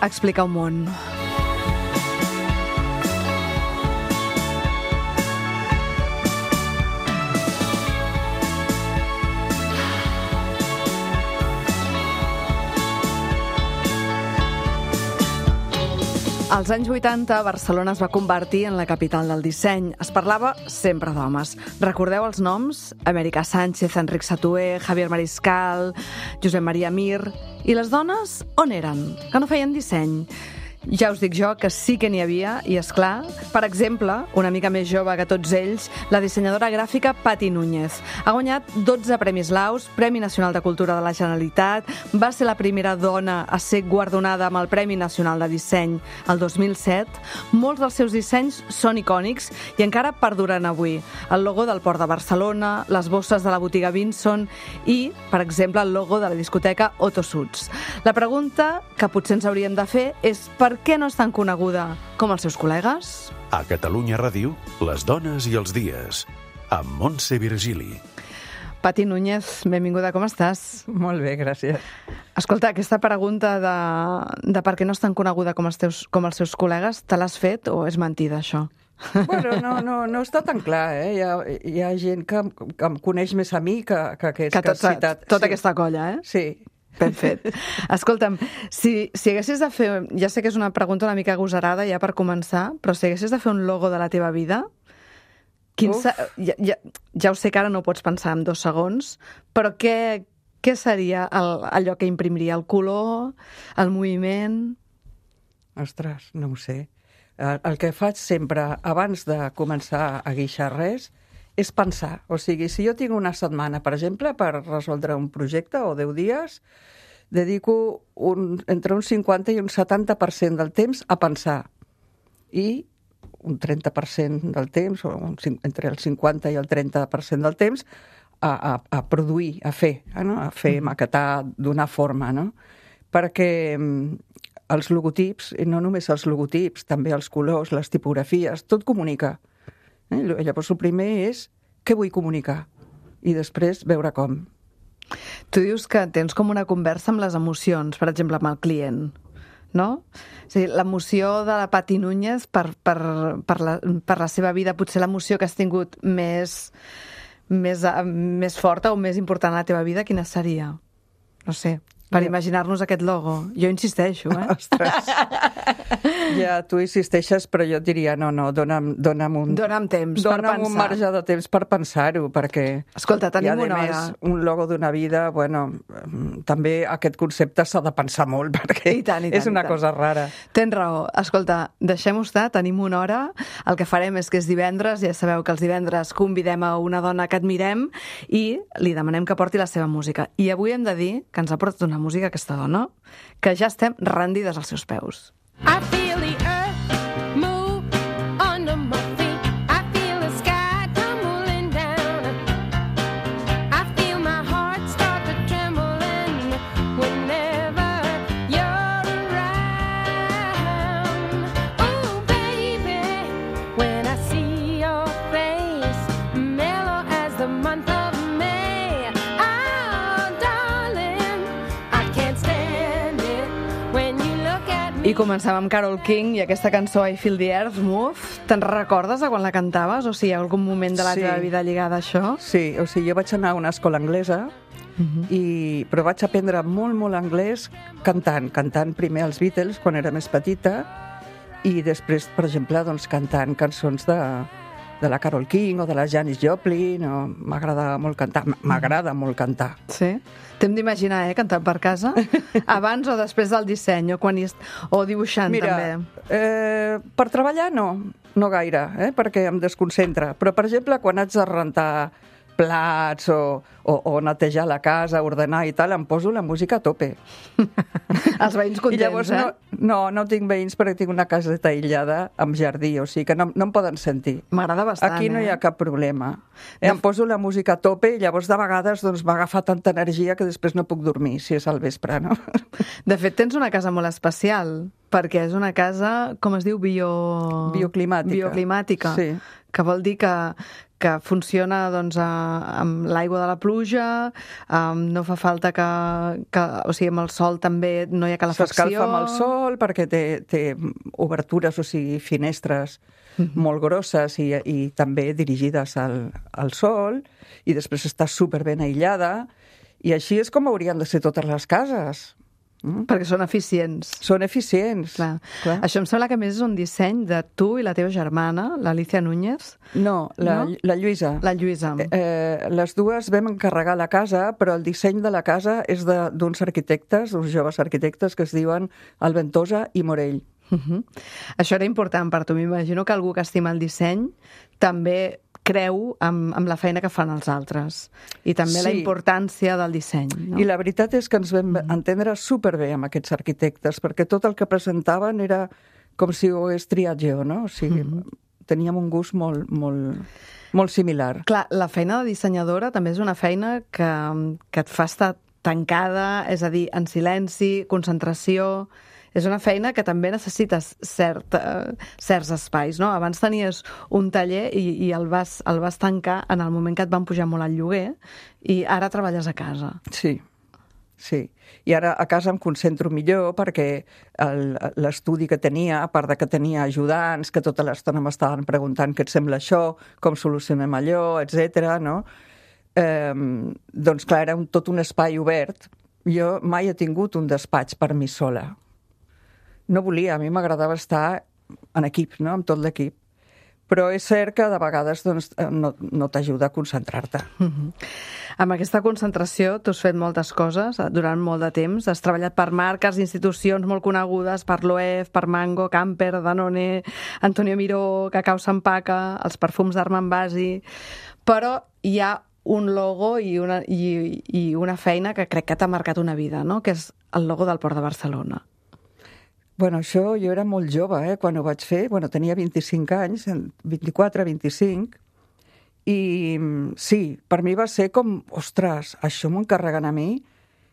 Explica un món. Als anys 80, Barcelona es va convertir en la capital del disseny. Es parlava sempre d'homes. Recordeu els noms? Amèrica Sánchez, Enric Satué, Javier Mariscal, Josep Maria Mir... I les dones, on eren? Que no feien disseny. Ja us dic jo que sí que n'hi havia, i és clar, per exemple, una mica més jove que tots ells, la dissenyadora gràfica Pati Núñez. Ha guanyat 12 Premis Laus, Premi Nacional de Cultura de la Generalitat, va ser la primera dona a ser guardonada amb el Premi Nacional de Disseny el 2007. Molts dels seus dissenys són icònics i encara perduren avui. El logo del Port de Barcelona, les bosses de la botiga Vinson i, per exemple, el logo de la discoteca Otto Suits. La pregunta que potser ens hauríem de fer és per què no és tan coneguda com els seus col·legues? A Catalunya Ràdio, les dones i els dies, amb Montse Virgili. Pati Núñez, benvinguda, com estàs? Molt bé, gràcies. Escolta, aquesta pregunta de per què no és tan coneguda com els seus col·legues, te l'has fet o és mentida, això? Bueno, no està tan clar, eh? Hi ha gent que em coneix més a mi que aquests que has citat. Tota aquesta colla, eh? Sí. Ben fet. Escolta'm, si haguessis de fer... Ja sé que és una pregunta una mica agosarada ja per començar, però si haguessis de fer un logo de la teva vida, ja ho sé que ara no ho pots pensar en 2 segons, però què seria allò que imprimiria? El color? El moviment? Ostres, no ho sé. El que faig sempre, abans de començar a guixar res, és pensar. O sigui, si jo tinc una setmana, per exemple, per resoldre un projecte o 10 dies, dedico entre un 50 i un 70% del temps a pensar. I un 30% del temps, o entre el 50 i el 30% del temps, a produir, a fer, no? A fer, maquetar, donar forma, no? Perquè els logotips, i no només els logotips, també els colors, les tipografies, tot comunica. Llavors, el primer és què vull comunicar i després veure com. Tu dius que tens com una conversa amb les emocions, per exemple, amb el client, no? O sigui, l'emoció de la Pati Núñez per la seva vida, potser l'emoció que has tingut més forta o més important a la teva vida, quina seria? No sé, per imaginar-nos aquest logo. Jo insisteixo, eh? Ostres. Ja, tu insisteixes, però jo et diria, no, dona'm un temps per pensar. Dona'm un marge de temps per pensar-ho, perquè... Escolta, tenim una hora. I, a més, un logo d'una vida, bueno, també aquest concepte s'ha de pensar molt, perquè és una cosa rara. Tens raó. Escolta, deixem-ho estar, tenim una hora. El que farem és que és divendres, ja sabeu que els divendres convidem a una dona que admirem i li demanem que porti la seva música. I avui hem de dir que ens ha portat una música aquesta dona, que ja estem rendides als seus peus. I feel the earth move under my feet. I feel the sky tumbling down. I feel my heart start to trembling whenever you're around. Oh, baby, when I see your face, mellow as the month of May. Oh, darling, I can't stand it when you look at me. I començàvem amb Carole King i aquesta cançó I Feel the Earth Move. Te'n recordes de quan la cantaves? O sigui, hi ha algun moment de la teva vida lligada a això? Sí, o sigui, jo vaig anar a una escola anglesa, però vaig aprendre molt anglès cantant primer els Beatles quan era més petita i després, per exemple, doncs, cantant cançons de la Carole King o de la Janis Joplin. M'agrada molt cantar. Sí? T'hem d'imaginar, cantant per casa? Abans o després del disseny, o dibuixant, també? Mira, per treballar no gaire, perquè em desconcentra. Però, per exemple, quan haig de rentar plats o netejar la casa, ordenar i tal, em poso la música a tope. Els veïns contents, I llavors, no tinc veïns perquè tinc una caseta aïllada amb jardí, o sigui que no em poden sentir. M'agrada bastant, Aquí no hi ha cap problema. Em poso la música a tope i llavors de vegades m'agafa tanta energia que després no puc dormir, si és al vespre, no? De fet, tens una casa molt especial, perquè és una casa, com es diu, bioclimàtica. Sí. Que vol dir que que funciona doncs, amb l'aigua de la pluja, no fa falta o sigui, amb el sol també no hi ha calefacció. S'escalfa amb el sol perquè té obertures, o sigui, finestres molt grosses i també dirigides al sol, i després està superben aïllada, i així és com haurien de ser totes les cases. Perquè són eficients. Són eficients. Clar. Clar. Això em sembla que més és un disseny de tu i la teva germana, l'Alicia Núñez. No, la Lluïsa. La Lluïsa. Les dues vam encarregar la casa, però el disseny de la casa és d'uns arquitectes, uns joves arquitectes que es diuen Alventosa i Morell. Això era important per tu. M'imagino que algú que estima el disseny també creu amb la feina que fan els altres i també la importància del disseny. No? I la veritat és que ens vam entendre superbé amb aquests arquitectes, perquè tot el que presentaven era com si ho hagués triat jo, no? O sigui, teníem un gust molt similar. Clar, la feina de dissenyadora també és una feina que et fa estar tancada, és a dir, en silenci, concentració. És una feina que també necessites certs espais, no? Abans tenies un taller i el vas tancar en el moment que et van pujar molt el lloguer i ara treballes a casa. Sí. I ara a casa em concentro millor perquè l'estudi que tenia, a part de que tenia ajudants que tota l'estona m'estaven preguntant què et sembla això, com solucionem allò, etc. no? Doncs clar, era tot un espai obert. Jo mai he tingut un despatx per mi sola. No volia, a mi m'agradava estar en equip, no? Amb tot l'equip. Però és cert que de vegades doncs, no t'ajuda a concentrar-te. Amb aquesta concentració tu has fet moltes coses durant molt de temps. Has treballat per marques, institucions molt conegudes, per l'OEF, per Mango, Camper, Danone, Antonio Miró, Cacao Sampaca, els perfums d'Armand Basi... Però hi ha un logo i una feina que crec que t'ha marcat una vida, no? Que és el logo del Port de Barcelona. Bueno, això jo era molt jove, quan ho vaig fer. Bueno, tenia 25 anys, 24, 25, i sí, per mi va ser com, ostres, això m'ho encarreguen a mi?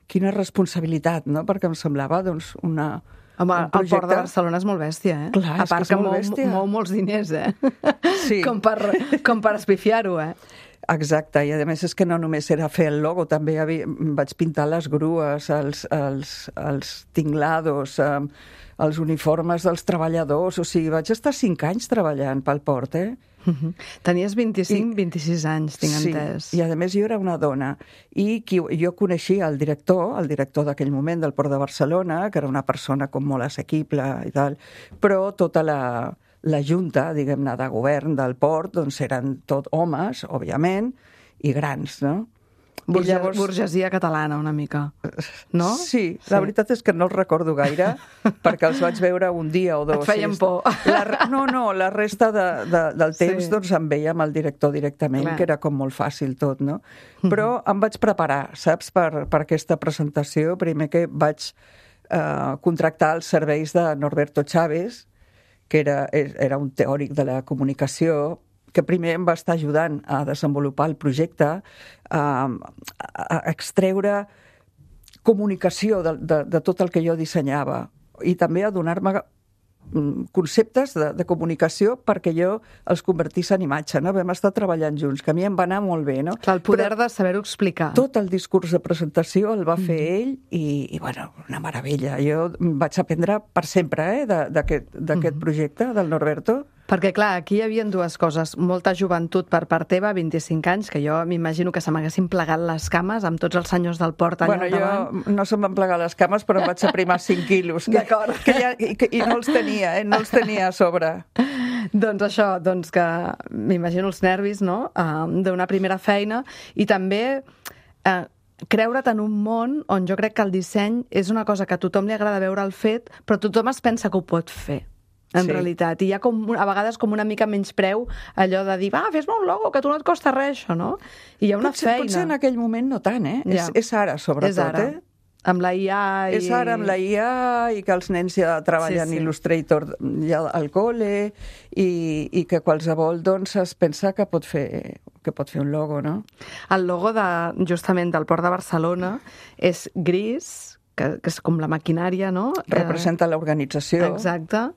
Quina responsabilitat, no? Perquè em semblava, doncs, un projecte... El Port de Barcelona és molt bèstia, eh? Clar, a part que mou molts diners, Sí. com per espifiar-ho, Exacte, i a més és que no només era fer el logo, també vaig pintar les grues, els tinglados, els uniformes dels treballadors, o sigui, vaig estar 5 anys treballant pel port, Tenies 26 anys, tinc entès. Sí, i a més jo era una dona, i jo coneixia el director d'aquell moment del Port de Barcelona, que era una persona com molt assequible i tal, però tota la junta, diguem-ne, de govern del port, doncs eren tot homes, òbviament, i grans, no? Burgesia catalana, una mica, no? Sí, la veritat és que no els recordo gaire, perquè els vaig veure un dia o dos. Et feien por. La resta del temps doncs em veia amb el director directament, que era com molt fàcil tot, no? Però em vaig preparar, saps, per aquesta presentació. Primer que vaig contractar els serveis de Norberto Chávez, que era un teòric de la comunicació, que primer em va estar ajudant a desenvolupar el projecte, a extreure comunicació de tot el que jo dissenyava i també a donar-me conceptes de comunicació perquè jo els convertís en imatge, no? Vam estar treballant junts, que a mi em va anar molt bé, no? Clar, el poder de saber-ho explicar. Tot el discurs de presentació el va fer ell i bueno, una meravella. Jo vaig aprendre per sempre d'aquest projecte del Norberto. Perquè, clar, aquí hi havia dues coses. Molta joventut per part teva, 25 anys, que jo m'imagino que se m'haguessin plegat les cames amb tots els senyors del port allà davant. Jo no se'm van plegar les cames, però em vaig aprimar 5 quilos. D'acord. I no els tenia, no els tenia a sobre. Doncs això, que m'imagino els nervis, no?, d'una primera feina, i també creure't en un món on jo crec que el disseny és una cosa que a tothom li agrada veure el fet, però tothom es pensa que ho pot fer. En realitat, i hi ha a vegades com una mica menys preu allò de dir, fes-me un logo, que a tu no et costa res, això, no? I hi ha una feina. Potser en aquell moment no tant, És ara, sobretot, És ara. Amb la IA És ara amb la IA i que els nens ja treballen Illustrator ja al col·le i que qualsevol doncs es pensa que pot fer un logo, no? El logo justament del Port de Barcelona és gris, que és com la maquinària, no? Representa l'organització. Exacte.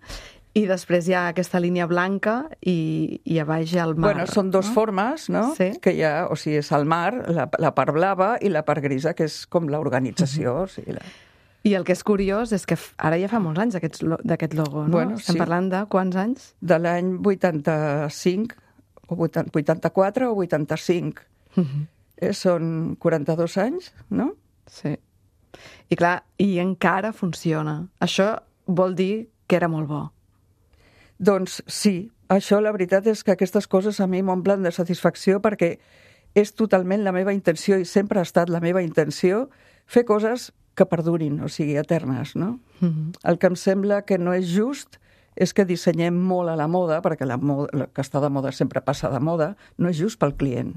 I després hi ha aquesta línia blanca i a baix hi ha el mar. Bueno, són dos formes, no? Sí. Que hi ha, o sigui, és el mar, la part blava i la part grisa, que és com l'organització. O sigui, I el que és curiós és que ara ja fa molts anys d'aquest logo, no? Bueno, Estem sí. parlant de quants anys? de l'any 85, o 84 o 85. Són 42 anys, no? Sí. I clar, i encara funciona. Això vol dir que era molt bo. Doncs sí, això la veritat és que aquestes coses a mi m'omplen de satisfacció perquè és totalment la meva intenció i sempre ha estat la meva intenció fer coses que perdurin, o sigui, eternes, no? El que em sembla que no és just és que dissenyem molt a la moda, perquè la que està de moda sempre passa de moda, no és just pel client.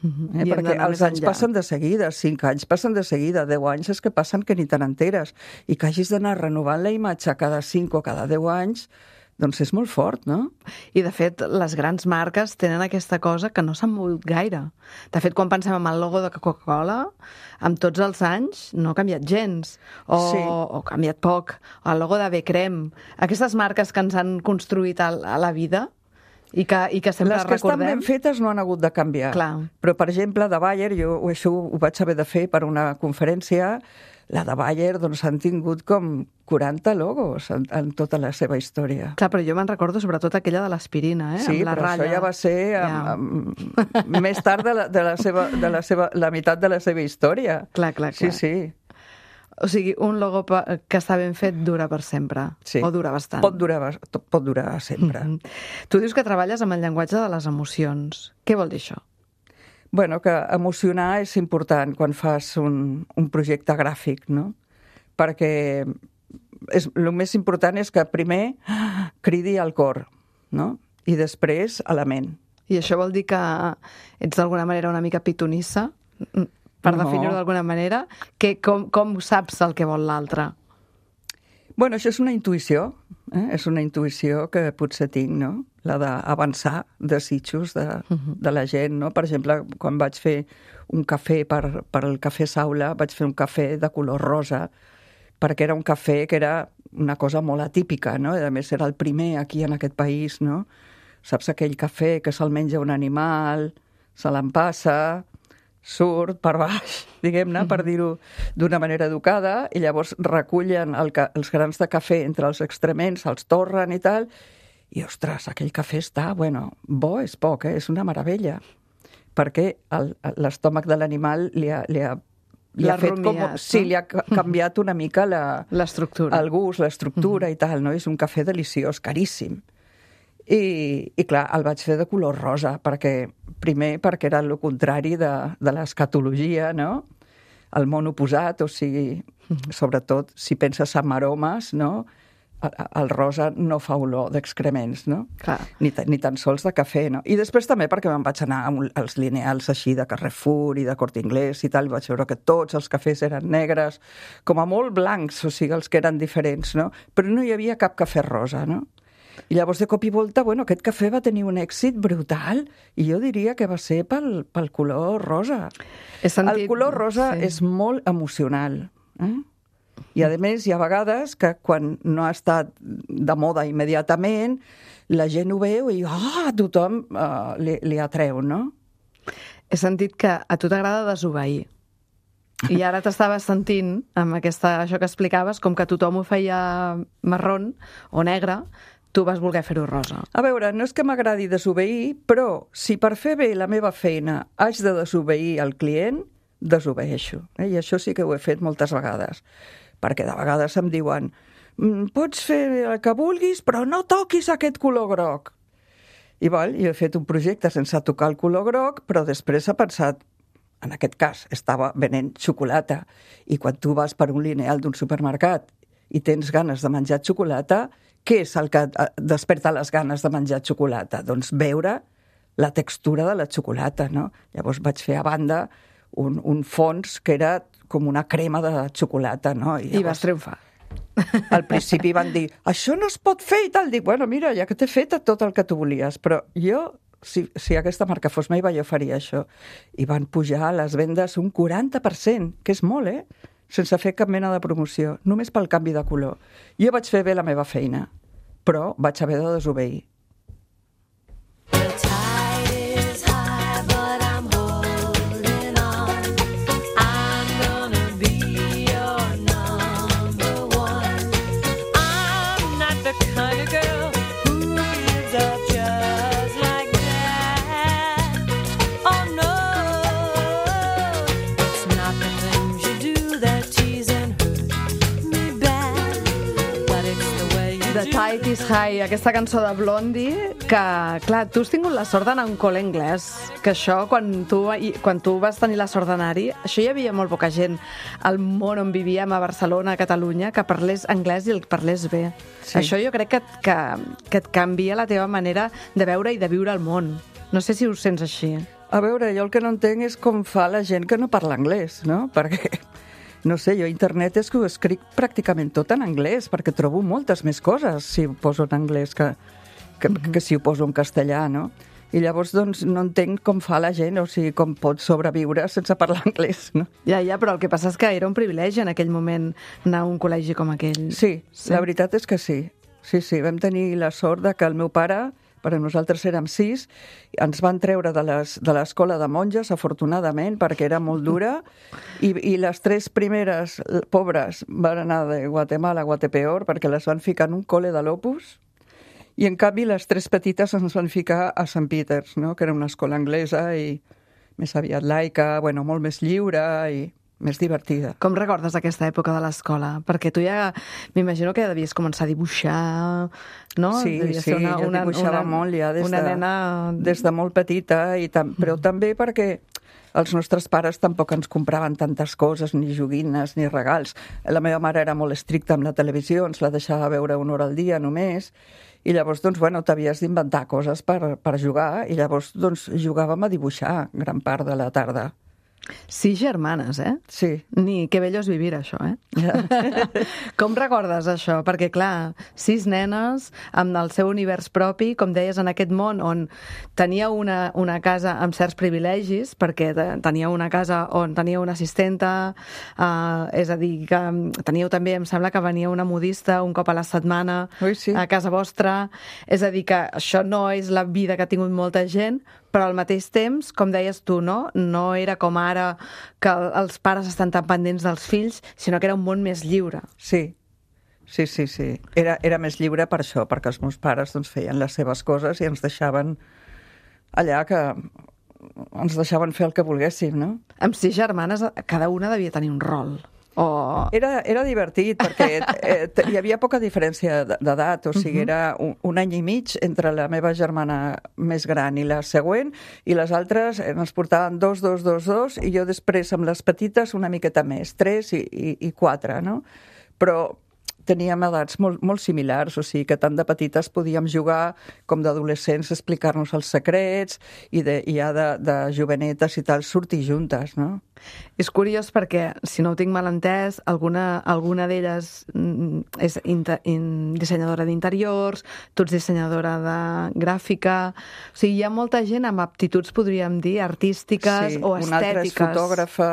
I hem Perquè d'anar els més anys enllà. passen de seguida, 5 anys passen de seguida, 10 anys és que passen que ni te n'enteres. I que hagis d'anar renovant la imatge cada 5 o cada 10 anys, doncs és molt fort, no? I, de fet, les grans marques tenen aquesta cosa que no s'han mogut gaire. De fet, quan pensem en el logo de Coca-Cola, amb tots els anys no ha canviat gens, Sí. o ha canviat poc. El logo de B-Crem. Aquestes marques que ens han construït a la vida i que sempre Les que estan recordem... ben fetes no han hagut de canviar. Clar. Però, per exemple, de Bayer, jo això ho vaig haver de fer per una conferència, la de Bayer doncs, han tingut com 40 logos en tota la seva història. Clar, però jo me'n recordo sobretot aquella de l'aspirina, Sí, amb la però ratlla. això ja va ser més tard de la meitat de la seva història. Clar. Sí, sí. O sigui, un logo que està ben fet dura per sempre. Sí. O dura bastant. Pot durar sempre. Tu dius que treballes amb el llenguatge de les emocions. Què vol dir això? Bueno, que emocionar és important quan fas un projecte gràfic, no? Perquè el més important és que primer cridi al cor, no? I després a la ment. I això vol dir que ets d'alguna manera una mica pitonissa? Per No. definir-ho d'alguna manera? Com saps el que vol l'altre? Bueno, això és una intuïció, és una intuïció que potser tinc, no? La d'avançar desitjos de la gent, no? Per exemple, quan vaig fer un cafè per el Cafè Saula, vaig fer un cafè de color rosa, perquè era un cafè que era una cosa molt atípica, no? I a més era el primer aquí en aquest país, no? Saps aquell cafè que se'l menja un animal, se l'empassa, surt per baix, diguem-ne, per dir-ho d'una manera educada, i llavors recullen els grans de cafè entre els extrements, els torren i tal, i, ostres, aquell cafè està, bueno, bo és poc, és una meravella, perquè l'estómac de l'animal li ha fet com... rumiat, Sí, no? li ha canviat una mica L'estructura. el gust, l'estructura i tal, no? És un cafè deliciós, caríssim. I clar, el vaig fer de color rosa, primer perquè era el contrari de l'escatologia, no? El món oposat, o sigui, sobretot si penses en aromes, no? El rosa no fa olor d'excrements, no? Clar. Ni tan sols de cafè, no? I després també perquè me'n vaig anar als lineals així de Carrefour i de Corte Inglés i tal, vaig veure que tots els cafès eren negres, com a molt blancs, o sigui, els que eren diferents, no? Però no hi havia cap cafè rosa, no? I llavors, de cop i volta, bueno, aquest cafè va tenir un èxit brutal i jo diria que va ser pel color rosa. He sentit... El color rosa és molt emocional. I, a més, hi ha vegades que quan no ha estat de moda immediatament, la gent ho veu i a tothom li atreu, no? He sentit que a tu t'agrada desobeir. I ara t'estaves sentint, amb això que explicaves, com que tothom ho feia marrón o negre, tu vas voler fer-ho rosa. A veure, no és que m'agradi desobeir, però si per fer bé la meva feina haig de desobeir el client, desobeeixo. I això sí que ho he fet moltes vegades. Perquè de vegades em diuen pots fer el que vulguis, però no toquis aquest color groc. I jo he fet un projecte sense tocar el color groc, però després he pensat, en aquest cas, estava venent xocolata. I quan tu vas per un lineal d'un supermercat i tens ganes de menjar xocolata, què és el que desperta les ganes de menjar xocolata? Doncs veure la textura de la xocolata, no? Llavors vaig fer a banda un fons que era com una crema de xocolata, no? I vas triomfar. Al principi van dir, això no es pot fer i tal. Dic, bueno, mira, ja que t'he fet tot el que tu volies, però jo, si aquesta marca fos meva, jo faria això. I van pujar les vendes un 40%, que és molt, sense fer cap mena de promoció, només pel canvi de color. Jo vaig fer bé la meva feina. però vaig haver de desobeir. The tide is high, but I'm holding on. I'm gonna be your number one. I'm not the kind of girl who gives up just like that. Oh no, it's not the things you do that tease and hurt me bad, but it's the way you The do. Tide is High, aquesta cançó de Blondie, que, clar, tu has tingut la sort d'anar a un col·le anglès, que això, quan tu vas tenir la sort d'anar-hi, això hi havia molt poca gent al món on vivíem, a Barcelona, a Catalunya, que parlés anglès i el parlés bé. Sí. Això jo crec que et canvia la teva manera de veure i de viure el món. No sé si ho sents així. A veure, jo el que no entenc és com fa la gent que no parla anglès, no? Perquè, no sé, jo a internet és que ho escric pràcticament tot en anglès, perquè trobo moltes més coses si ho poso en anglès que si ho poso en castellà, no? I llavors, doncs, no entenc com fa la gent, o sigui, com pot sobreviure sense parlar anglès, no? Ja, però el que passa és que era un privilegi en aquell moment anar a un col·legi com aquell. Sí, la veritat és que sí. Sí, vam tenir la sort de que el meu pare, perquè nosaltres érem 6, ens van treure de l'escola de monges, afortunadament, perquè era molt dura, i les 3 primeres pobres van anar de Guatemala a Guatepeor, perquè les van ficar en un col·le de l'Opus, i en canvi les 3 petites ens van ficar a St. Peters, no? Que era una escola anglesa i més aviat laica, bueno, molt més lliure i més divertida. Com recordes aquesta època de l'escola? Perquè tu ja m'imagino que devies començar a dibuixar, no? Sí, Devies sí, ser jo dibuixava molt ja nena... des de molt petita, però també perquè els nostres pares tampoc ens compraven tantes coses, ni joguines, ni regals. La meva mare era molt estricta amb la televisió, ens la deixava veure 1 hora al dia només, i llavors, doncs, bueno, t'havies d'inventar coses per jugar, i llavors, doncs, jugàvem a dibuixar gran part de la tarda. 6 germanes, eh? Sí. Ni que bello és vivir, això, eh? Ja. Com recordes això? Perquè, clar, 6 nenes amb el seu univers propi, com deies, en aquest món on teníeu una casa amb certs privilegis, perquè teníeu una casa on teníeu una assistenta, és a dir, que teníeu també, em sembla que venia una modista un cop a la setmana Sí. a casa vostra. És a dir, que això no és la vida que ha tingut molta gent, però al mateix temps, com deies tu, no era com ara que els pares estan tan pendents dels fills, sinó que era un món més lliure. Sí. Era més lliure per això, perquè els meus pares doncs, feien les seves coses i ens deixaven allà que ens deixaven fer el que volguéssim, no? Amb 6 germanes, cada una devia tenir un rol. Era divertit, perquè hi havia poca diferència d'edat, o sigui, era un any i mig entre la meva germana més gran i la següent, i les altres ens portaven 2, i jo després amb les petites una miqueta més, 3 i 4, no? Però teníem edats molt similars, o sigui que tant de petites podíem jugar com d'adolescents, explicar-nos els secrets, i ja de jovenetes i tal, sortir juntes, no? És curiós perquè, si no ho tinc mal entès, alguna d'elles és dissenyadora d'interiors, tu ets dissenyadora de gràfica... O sigui, hi ha molta gent amb aptituds, podríem dir, artístiques o estètiques. Sí, una altra és fotògrafa.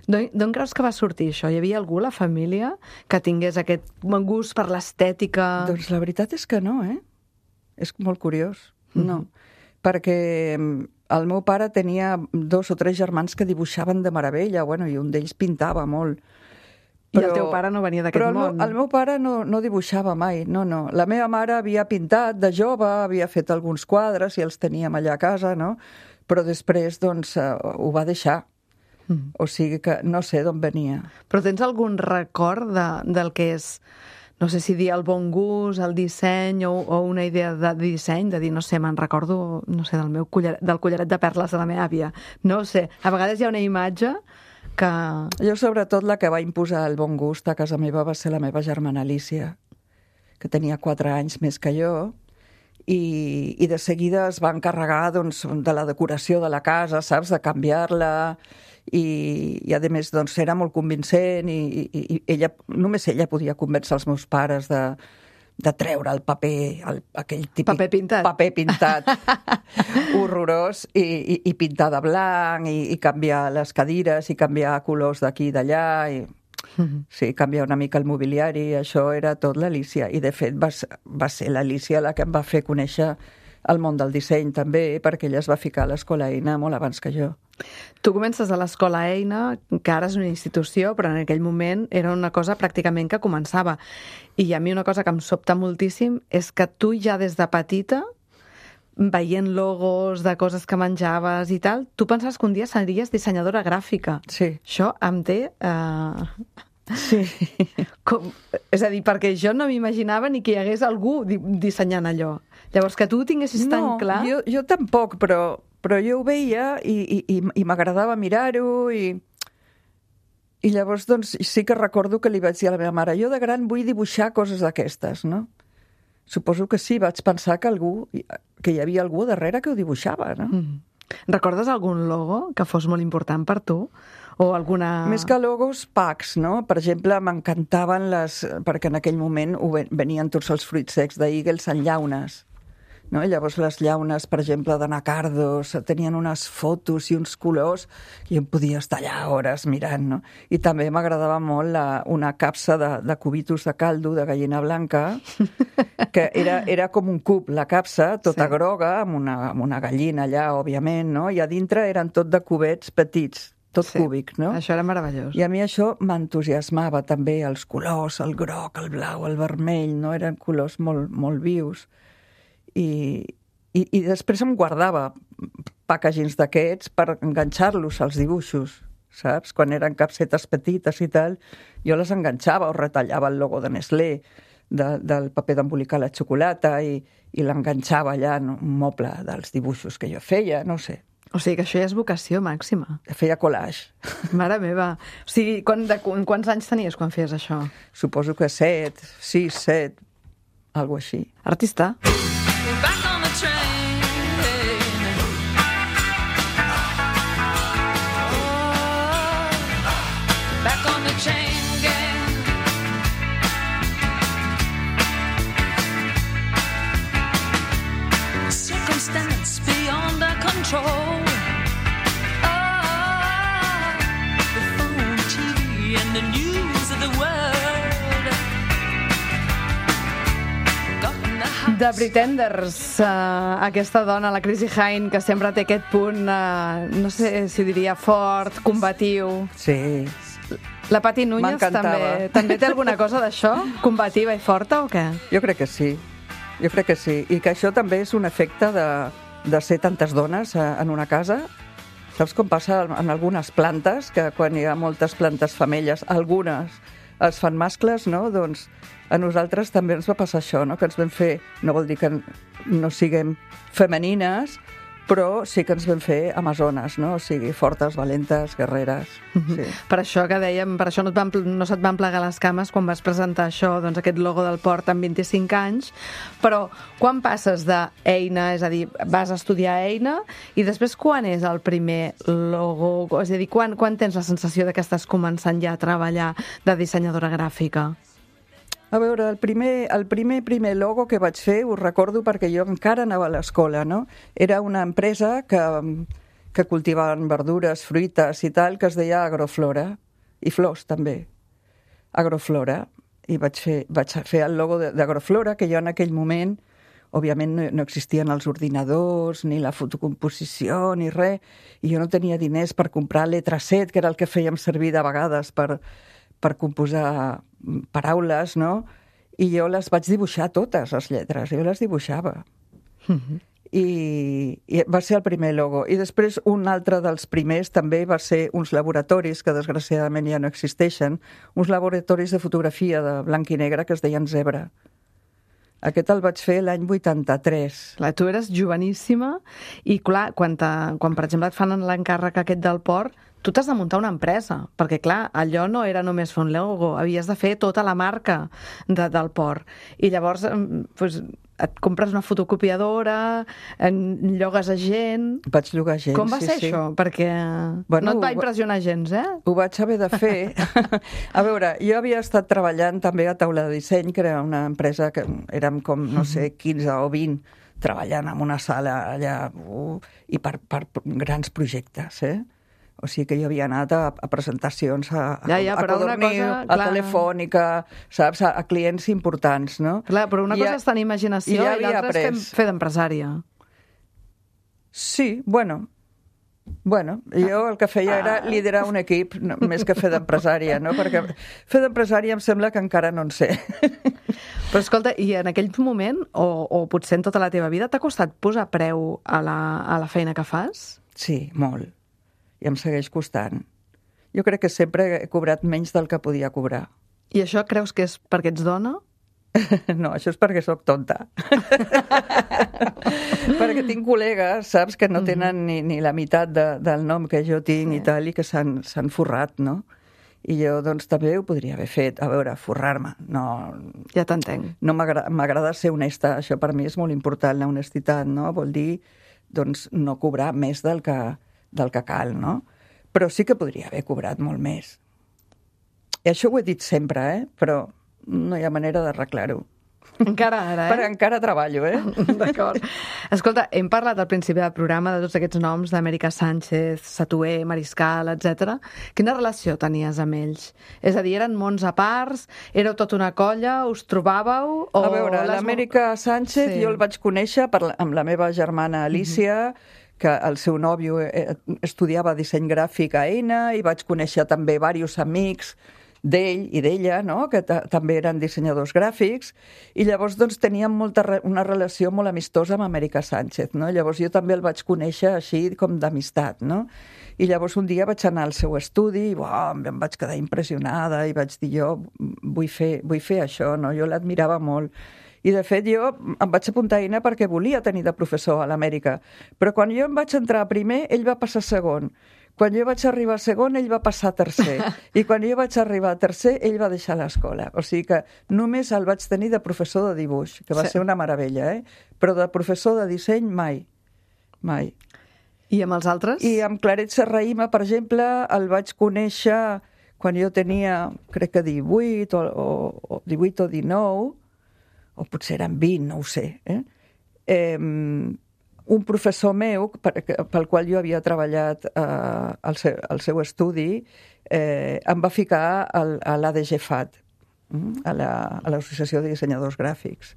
D'on creus que va sortir això? Hi havia algú a la família que tingués aquest gust per l'estètica? Doncs la veritat és que no, eh? És molt curiós. No. Perquè el meu pare tenia 2 o 3 germans que dibuixaven de meravella, bueno, i un d'ells pintava molt. I el teu pare no venia d'aquest món? Però el meu pare no dibuixava mai, no. La meva mare havia pintat de jove, havia fet alguns quadres i els teníem allà a casa, no? Però després, doncs, ho va deixar. O sigui que no sé d'on venia. Però tens algun record del que és, no sé si dir el bon gust, el disseny o una idea de disseny, de dir, no sé, me'n recordo, no sé, del collaret de perles de la meva àvia. No ho sé, a vegades hi ha una imatge que... Jo, sobretot, la que va imposar el bon gust a casa meva va ser la meva germana Alicia, que tenia 4 anys més que jo, i de seguida es va encarregar, doncs, de la decoració de la casa, saps?, de canviar-la, i a més, doncs, era molt convincent i ella, només ella podia convèncer els meus pares de treure el paper, aquell típic paper pintat horrorós, i pintar de blanc, i canviar les cadires, i canviar colors d'aquí i d'allà, Sí, canviar una mica el mobiliari, això era tot l'Alícia. I, de fet, va ser l'Alícia la que em va fer conèixer el món del disseny, també, perquè ella es va ficar a l'Escola Eina molt abans que jo. Tu comences a l'Escola Eina, que ara és una institució, però en aquell moment era una cosa pràcticament que començava. I a mi una cosa que em sobta moltíssim és que tu ja des de petita, veient logos de coses que menjaves i tal, tu pensaves que un dia series dissenyadora gràfica. Sí. Això em té... Sí. És a dir, perquè jo no m'imaginava ni que hi hagués algú dissenyant allò. Llavors, que tu ho tinguessis tan clar... No, jo tampoc, però jo ho veia i m'agradava mirar-ho i llavors doncs, sí que recordo que li vaig dir a la meva mare, jo de gran vull dibuixar coses d'aquestes, no? Suposo que sí, vaig pensar que hi havia algú darrere que ho dibuixava, no? Recordes algun logo que fos molt important per tu? O alguna... Més que logos, packs, no? Per exemple, m'encantaven perquè en aquell moment venien tots els fruits secs d'Eagles en llaunes. No? I llavors les llaunes, per exemple, de Nacardos, tenien unes fotos i uns colors i em podia estar allà hores mirant, no? I també m'agradava molt una capsa de cubitos de caldo de gallina blanca, que era com un cub, la capsa, tota groga, amb una gallina allà, òbviament, no? I a dintre eren tot de cubets petits, tot cúbic, no? Això era meravellós. I a mi això m'entusiasmava també, els colors, el groc, el blau, el vermell, no? Eren colors molt, molt vius. I després em guardava packagings d'aquests per enganxar-los als dibuixos, saps? Quan eren capsetes petites i tal, jo les enganxava o retallava el logo de Nestlé, del paper d'embolicar la xocolata i l'enganxava allà en un moble dels dibuixos que jo feia, no sé. O sigui que això ja és vocació màxima. Feia collage. Mare meva. O sigui, quants anys tenies quan feies això? Suposo que 7, 6, 7, algo així. Artista. Back on the train. Oh, back on the chain gang. Circumstance beyond our control. Oh, the phone, TV, and the news of the world. The Pretenders, aquesta dona, la Chrissie Hynde, que sempre té aquest punt, no sé si diria fort, combatiu. Sí. La Pati Núñez també té alguna cosa d'això? Combativa i forta o què? Jo crec que sí. Jo crec que sí. I que això també és un efecte de ser tantes dones en una casa. Saps com passa en algunes plantes, que quan hi ha moltes plantes femelles, algunes es fan mascles, no? Doncs a nosaltres també ens va passar això, no? Que ens vam fer, no vol dir que no siguem femenines, però sí que ens vam fer amazones, no? O sigui, fortes, valentes, guerreres. Sí. Per això que dèiem, per això no se't van plegar les cames quan vas presentar això, doncs aquest logo del port amb 25 anys, però quan passes d'Eina, és a dir, vas a estudiar Eina, i després quan és el primer logo? És a dir, quan tens la sensació que estàs començant ja a treballar de dissenyadora gràfica? A veure, el primer logo que vaig fer, ho recordo perquè jo encara anava a l'escola, no? Era una empresa que cultivaven verdures, fruites i tal, que es deia Agroflora, i flors també. Agroflora. I vaig fer el logo d'Agroflora, que jo en aquell moment, òbviament no existien els ordinadors, ni la fotocomposició, ni res, i jo no tenia diners per comprar Letraset, que era el que fèiem servir de vegades per composar paraules, no? I jo les vaig dibuixar totes, les lletres, jo les dibuixava. I va ser el primer logo. I després un altre dels primers també va ser uns laboratoris, que desgraciadament ja no existeixen, uns laboratoris de fotografia de blanc i negre que es deien Zebra. Aquest el vaig fer l'any 83. Clar, tu eres joveníssima i, clar, quan per exemple et fan l'encàrrec aquest del port, tu t'has de muntar una empresa, perquè, clar, allò no era només fer un logo, havies de fer tota la marca del port. I llavors doncs, et compres una fotocopiadora, llogues a gent... Vaig llogar gent, Com va ser això? Perquè no et va impressionar gens, eh? Ho vaig haver de fer. A veure, jo havia estat treballant també a Taula de Disseny, que era una empresa que érem com, no sé, 15 o 20, treballant en una sala allà, i per grans projectes, O sigui que jo havia anat a presentacions a però una Codorniu, cosa, a clar. Telefònica, saps? A clients importants, no? Clar, però una cosa és tenir imaginació ja i havia l'altra és après. fer d'empresària. Sí, bueno, jo el que feia era liderar un equip més que fer d'empresària, no? Perquè fer d'empresària em sembla que encara no en sé. Però escolta, i en aquell moment, o potser en tota la teva vida, t'ha costat posar preu a la feina que fas? Sí, molt. I em segueix costant. Jo crec que sempre he cobrat menys del que podia cobrar. I això creus que és perquè ets dona? No, això és perquè sóc tonta. Perquè tinc col·legues, saps, que no tenen ni la meitat del nom que jo tinc i tal, i que s'han forrat, no? I jo, doncs, també ho podria haver fet. A veure, forrar-me. No, Ja t'entenc. no m'agrada ser honesta. Això per mi és molt important, la honestitat, no? Vol dir, doncs, no cobrar més del que cal, no? Però sí que podria haver cobrat molt més. I això ho he dit sempre, però no hi ha manera d'arreglar-ho. Encara ara, Però encara treballo, D'acord. Escolta, hem parlat al principi del programa de tots aquests noms d'Amèrica Sánchez, Satué, Mariscal, etc. Quina relació tenies amb ells? És a dir, eren mons a parts? Éreu tota una colla? Us trobàveu? A veure, l'Amèrica Sánchez jo el vaig conèixer amb la meva germana Alicia, que el seu nòvio estudiava disseny gràfic a ENA, i vaig conèixer també diversos amics d'ell i d'ella, no? Que també eren dissenyadors gràfics, i llavors doncs teníem una relació molt amistosa amb Amèrica Sánchez, no? Llavors jo també el vaig conèixer així com d'amistat, no? I llavors un dia vaig anar al seu estudi i em vaig quedar impressionada i vaig dir, jo vull fer això, no? Jo l'admirava molt. I, de fet, jo em vaig apuntar a ENA perquè volia tenir de professor a l'Amèrica. Però quan jo em vaig entrar a primer, ell va passar a segon. Quan jo vaig arribar a segon, ell va passar a tercer. I quan jo vaig arribar a tercer, ell va deixar l'escola. O sigui que només el vaig tenir de professor de dibuix, que va ser una meravella, Però de professor de disseny, mai. Mai. I amb els altres? I amb Claret Serrahima, per exemple, el vaig conèixer quan jo tenia, crec que 18 o 18 o 19, o potser eren 20, no ho sé. Un professor meu, pel qual jo havia treballat al seu estudi, em va ficar a l'ADGFAT, a l'Associació de Dissenyadors Gràfics,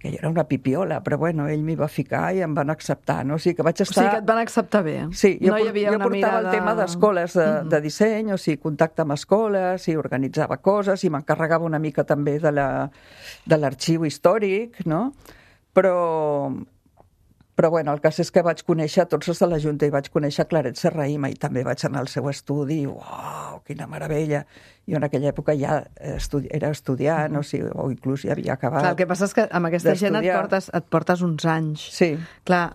que jo era una pipiola, però bueno, ell m'hi va ficar i em van acceptar, no? O sigui que vaig estar... O sigui que et van acceptar bé. Sí, jo hi havia una portava mirada... el tema d'escoles de disseny, o sigui, contacte amb escoles, i organitzava coses, i m'encarregava una mica també de l'arxiu històric, no? Però bueno, el cas és que vaig conèixer tots els de la Junta i vaig conèixer Claret Serrahima i també vaig anar al seu estudi i uau, quina meravella. Jo en aquella època ja era estudiant, o inclús ja havia acabat. Clar, el que passa és que amb aquesta gent et portes uns anys. Sí. Clar,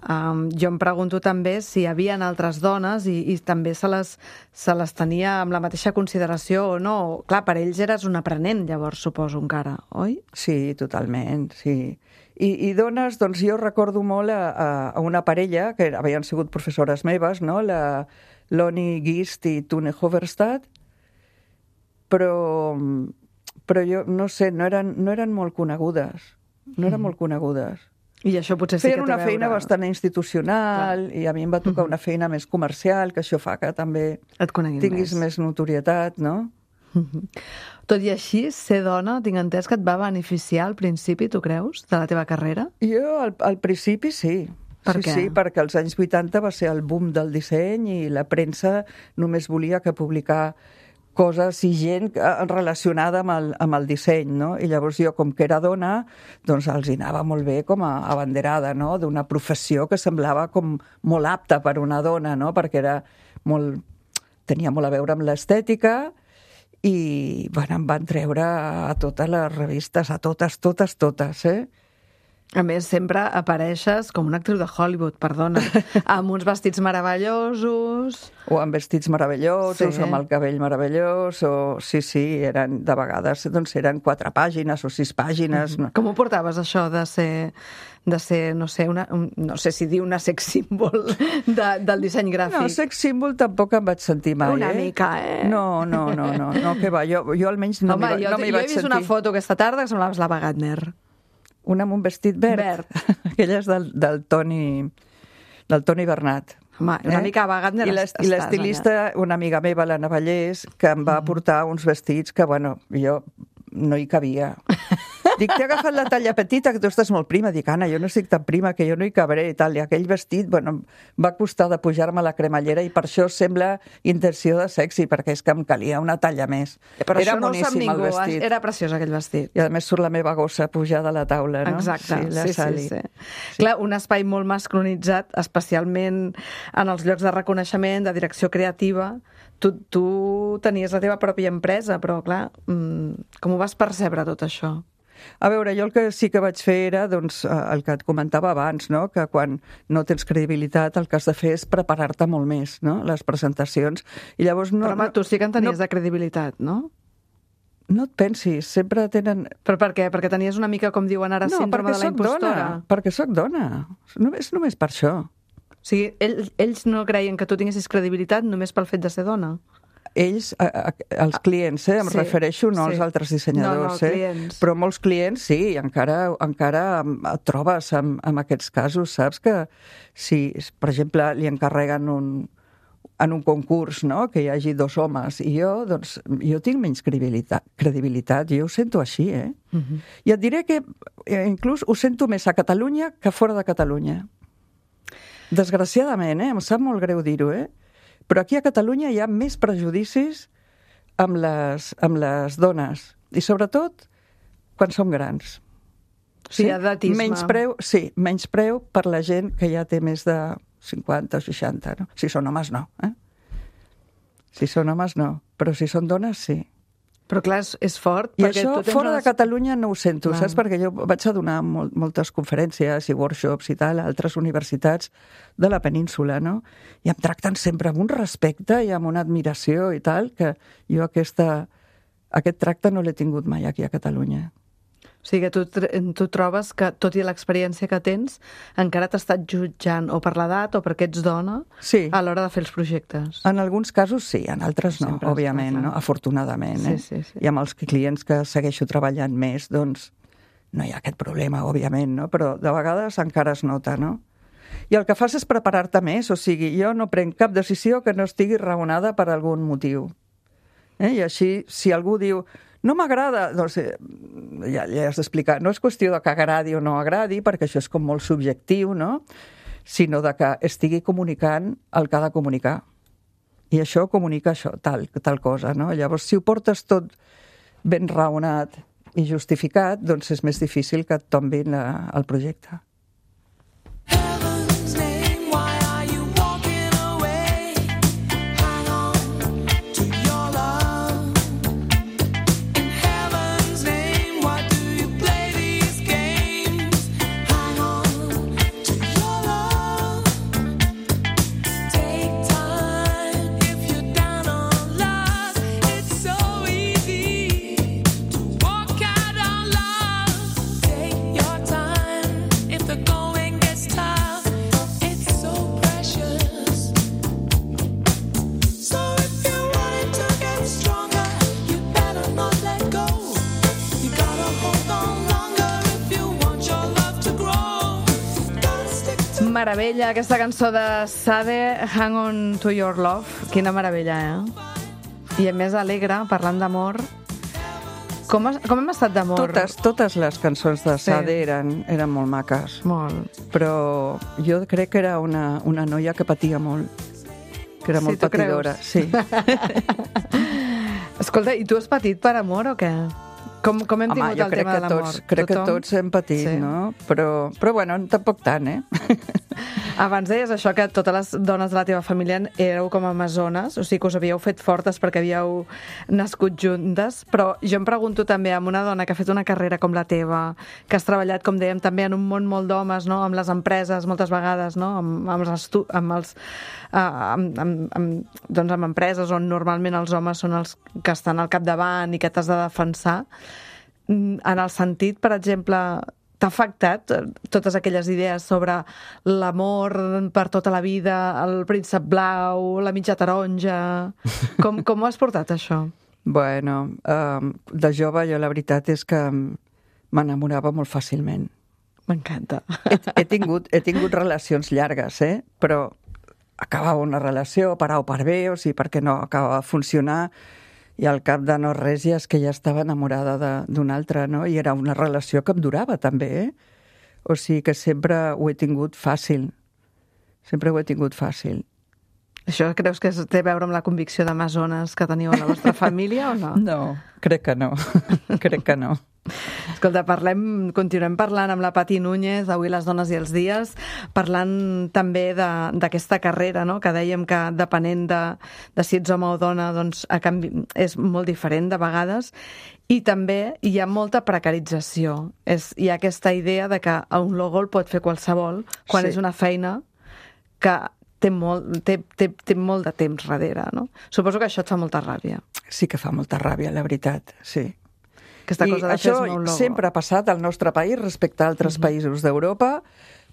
jo em pregunto també si hi havia altres dones i també se les tenia amb la mateixa consideració o no. Clar, per ells eres un aprenent, llavors, suposo, encara, oi? Sí, totalment, sí. I dones, doncs jo recordo molt a una parella, que havien sigut professores meves, no? La Loni Gist i Tune Hoverstad, però jo, no sé, no eren molt conegudes. No eren molt conegudes. I això potser sí que té a veure... Feien una feina bastant institucional, i a mi em va tocar una feina més comercial, que això fa que també tinguis més notorietat, no? Tot i així, ser dona, tinc entès que et va beneficiar al principi, tu creus, de la teva carrera? Jo, al principi, sí. Per què? Sí, perquè als anys 80 va ser el boom del disseny i la premsa només volia que publicar coses i gent relacionada amb el disseny, no? I llavors jo, com que era dona, doncs els hi anava molt bé com a abanderada, no? D'una professió que semblava com molt apta per una dona, no? Perquè tenia molt a veure amb l'estètica, i bueno, em van treure a totes les revistes, a totes, A més, sempre apareixes com una actriu de Hollywood, perdona, amb uns vestits meravellosos... O amb vestits meravellosos, o amb el cabell meravellós, o... Sí, eren, de vegades, doncs eren 4 pàgines o 6 pàgines. Com ho portaves, això de ser no sé, no sé si dir una sex symbol del disseny gràfic? No, sex symbol tampoc em vaig sentir mai, Una mica, No, que va, jo almenys no m'hi vaig sentir. Home, jo he vist una foto aquesta tarda que semblaves l'Ava Gardner. Una amb un vestit verd. Aquella és del Toni Bernat. Home, una mica Ava Gardner I l'estilista, una amiga meva, l'Anna Vallès, que em va portar uns vestits que, bueno, jo no hi cabia. Dic, t'he agafat la talla petita, que tu estàs molt prima. Dic, Anna, jo no estic tan prima, que jo no hi cabré i tal. I aquell vestit, bueno, va costar de pujar-me la cremallera i per això sembla intenció de sexy, perquè és que em calia una talla més. Però era això no ho sap boníssim, ningú, el vestit. era preciós aquell vestit. I a més surt la meva gossa pujada a la taula, no? Exacte, la Sally. sí. Clar, un espai molt masculinitzat, especialment en els llocs de reconeixement, de direcció creativa. Tu tenies la teva pròpia empresa, però clar, com ho vas percebre tot això? A veure, jo el que sí que vaig fer era doncs, el que et comentava abans, no? Que quan no tens credibilitat el que has de fer és preparar-te molt més, no? Les presentacions. I llavors no, Però home, tu sí que en tenies de credibilitat, no? No et pensis, sempre tenen... Però per què? Perquè tenies una mica, com diuen ara, síndrome de la impostora. Perquè sóc dona. És només per això. O sigui, ells no creien que tu tinguessis credibilitat només pel fet de ser dona? Ells, els clients, em refereixo, no als altres dissenyadors, clients. Però molts clients sí, i encara et trobes amb aquests casos, saps? Que si, per exemple, li encarreguen en un concurs, no?, que hi hagi 2 homes, i jo tinc menys credibilitat, jo ho sento així, I et diré que inclús ho sento més a Catalunya que fora de Catalunya. Desgraciadament, em sap molt greu dir-ho, però aquí a Catalunya hi ha més prejudicis amb les dones, i sobretot quan som grans. Sí, edatisme. Menyspreu per la gent que ja té més de 50 o 60, no? Si són homes, no. Si són homes, no. Però si són dones, sí. Però clar, és fort. I això fora de Catalunya no ho sento, saps? Perquè jo vaig a donar moltes conferències i workshops i tal a altres universitats de la península, no? I em tracten sempre amb un respecte i amb una admiració i tal, que jo aquest tracte no l'he tingut mai aquí a Catalunya. O sigui que tu trobes que, tot i l'experiència que tens, encara t'ha estat jutjant o per l'edat o perquè ets dona a l'hora de fer els projectes. En alguns casos sí, en altres no, sempre òbviament, no? Afortunadament. Sí. I amb els clients que segueixo treballant més, doncs no hi ha aquest problema, òbviament, no? Però de vegades encara es nota, no? I el que fas és preparar-te més, o sigui, jo no prenc cap decisió que no estigui raonada per algun motiu. I així, si algú diu no m'agrada, doncs ja has d'explicar. No és qüestió de que agradi o no agradi, perquè això és com molt subjectiu, no? Sinó de que estigui comunicant el que ha de comunicar. I això comunica això, tal cosa, no? Llavors, si ho portes tot ben raonat i justificat, doncs és més difícil que et tombin el projecte. Meravella, aquesta cançó de Sade, Hang On To Your Love. Quina meravella, I a més alegre, parlant d'amor. Com hem estat d'amor? Totes les cançons de Sade eren molt maques. Molt. Però jo crec que era una noia que patia molt. Que era molt patidora. Sí. Escolta, i tu has patit per amor o què? Com hem tingut el tema de l'amor? Crec que tots hem patit, no? Però bueno, tampoc tant, Abans deies això, que totes les dones de la teva família éreu com amazones, o sigui que us havíeu fet fortes perquè havíeu nascut juntes, però jo em pregunto també, amb una dona que ha fet una carrera com la teva, que has treballat, com dèiem, també en un món molt d'homes, no? Amb les empreses, moltes vegades, no? Amb empreses on normalment els homes són els que estan al capdavant i que t'has de defensar, en el sentit, per exemple, t'ha afectat totes aquelles idees sobre l'amor per tota la vida, el príncep blau, la mitja taronja? Com ho has portat, això? Bueno, de jove jo la veritat és que m'enamorava molt fàcilment. M'encanta. He tingut relacions llargues, però acabava una relació per A o per B, o sigui, perquè no acabava de funcionar, i al cap de no res ja és que ja estava enamorada d'un altre, no? I era una relació que em durava també, O sigui que sempre ho he tingut fàcil. Sempre ho he tingut fàcil. Això creus que té a veure amb la convicció d'amazones que teniu a la vostra família o no? No, crec que no. Crec que no. Escolta, continuem parlant amb la Pati Núñez, avui Les dones i els dies, parlant també d'aquesta carrera, no? Que dèiem que depenent de si ets home o dona, doncs és molt diferent de vegades, i també hi ha molta precarització. Hi ha aquesta idea de que un logo el pot fer qualsevol quan és una feina que té molt de temps darrere, no? Suposo que això et fa molta ràbia. Sí que fa molta ràbia, la veritat, sí. Aquesta cosa de fer-se un logo. Sempre ha passat al nostre país respecte a altres països d'Europa,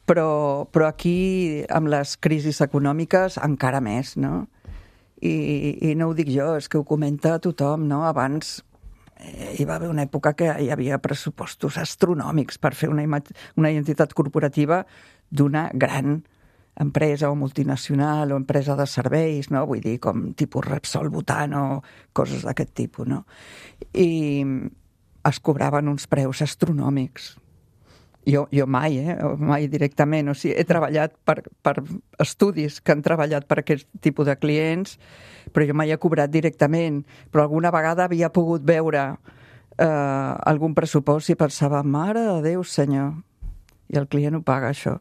però aquí, amb les crisis econòmiques, encara més, no? I no ho dic jo, és que ho comenta tothom, no? Abans hi va haver una època que hi havia pressupostos astronòmics per fer una identitat corporativa d'una gran empresa o multinacional o empresa de serveis, no? Vull dir, com tipus Repsol, Butano, coses d'aquest tipus, no? I es cobraven uns preus astronòmics. Jo mai directament. O sigui, he treballat per estudis que han treballat per aquest tipus de clients, però jo mai he cobrat directament. Però alguna vegada havia pogut veure algun pressupost i pensava, mare de Déu, senyor, i el client ho paga, això.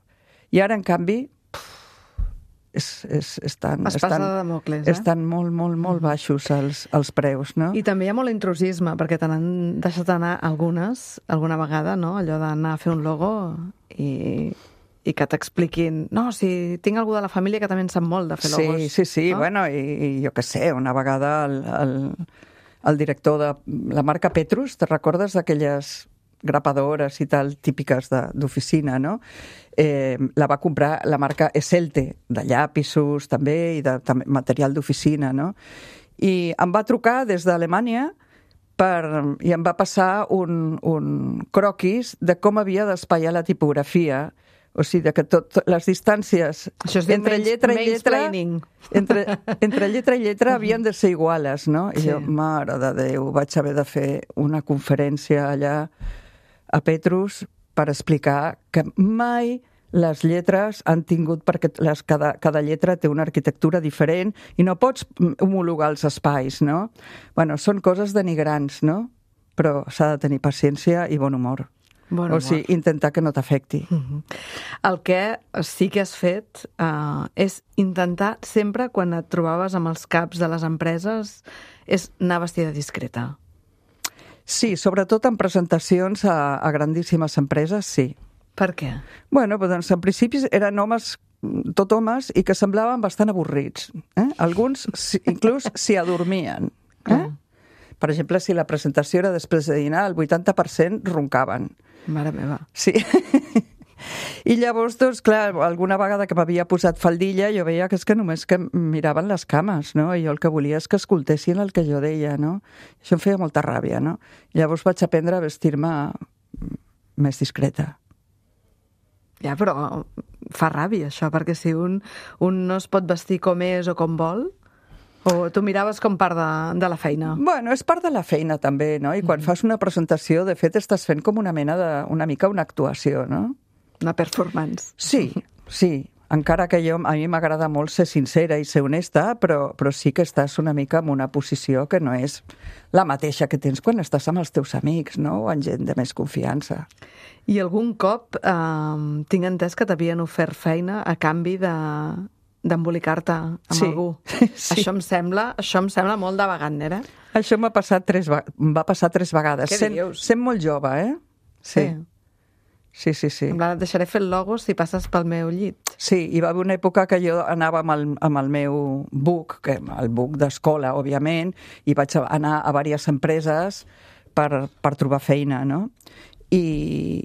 I ara, en canvi, estan molt baixos els preus, no? I també hi ha molt intrusisme, perquè te n'han deixat anar alguna vegada, no? Allò d'anar a fer un logo i que t'expliquin, no, si tinc algú de la família que també en sap molt de fer logos. Sí, no? Bueno, i jo què sé, una vegada el director de la marca Petrus, te recordes d'aquelles grapadores i tal, típiques d'oficina, no? La va comprar la marca Esselte, de llapisos també, i de material d'oficina, no? I em va trucar des d'Alemanya i em va passar un croquis de com havia d'espaiar la tipografia. O sigui, que les distàncies entre lletra i lletra entre lletra i lletra havien de ser iguales, no? I jo, mare de Déu, vaig haver de fer una conferència allà a Petrus per explicar que mai les lletres han tingut, perquè cada lletra té una arquitectura diferent i no pots homologar els espais, no? Bueno, són coses denigrants, no? Però s'ha de tenir paciència i bon humor. O sigui, intentar que no t'afecti. El que sí que has fet és intentar sempre, quan et trobaves amb els caps de les empreses, és anar vestida discreta. Sí, sobretot en presentacions a grandíssimes empreses, sí. Per què? Bueno, doncs en principi eren homes, tot homes, i que semblaven bastant avorrits. Alguns inclús s'hi adormien. Per exemple, si la presentació era després de dinar, el 80% roncaven. Mare meva. Sí. I llavors, doncs, clar, alguna vegada que m'havia posat faldilla, jo veia que és que només que miraven les cames, no? I jo el que volia és que escoltessin el que jo deia, no? Això em feia molta ràbia, no? Llavors vaig aprendre a vestir-me més discreta. Ja, però fa ràbia, això, perquè si un no es pot vestir com és o com vol, o tu miraves com part de la feina? Bueno, és part de la feina, també, no? I quan fas una presentació, de fet, estàs fent com una mica una actuació, no? Una performance. Sí. Encara que a mi m'agrada molt ser sincera i ser honesta, però sí que estàs una mica en una posició que no és la mateixa que tens quan estàs amb els teus amics, no? O amb gent de més confiança. I algun cop tinc entès que t'havien ofert feina a canvi d'embolicar-te amb algú. Sí. Això em sembla molt de Wagner, Això em va passar 3 vegades. Què dius? Sent molt jove, Sí. En plan, et deixaré fer el logo si passes pel meu llit. Sí, hi va haver una època que jo anava amb el meu book, el book d'escola, òbviament, i vaig anar a diverses empreses per trobar feina, no? I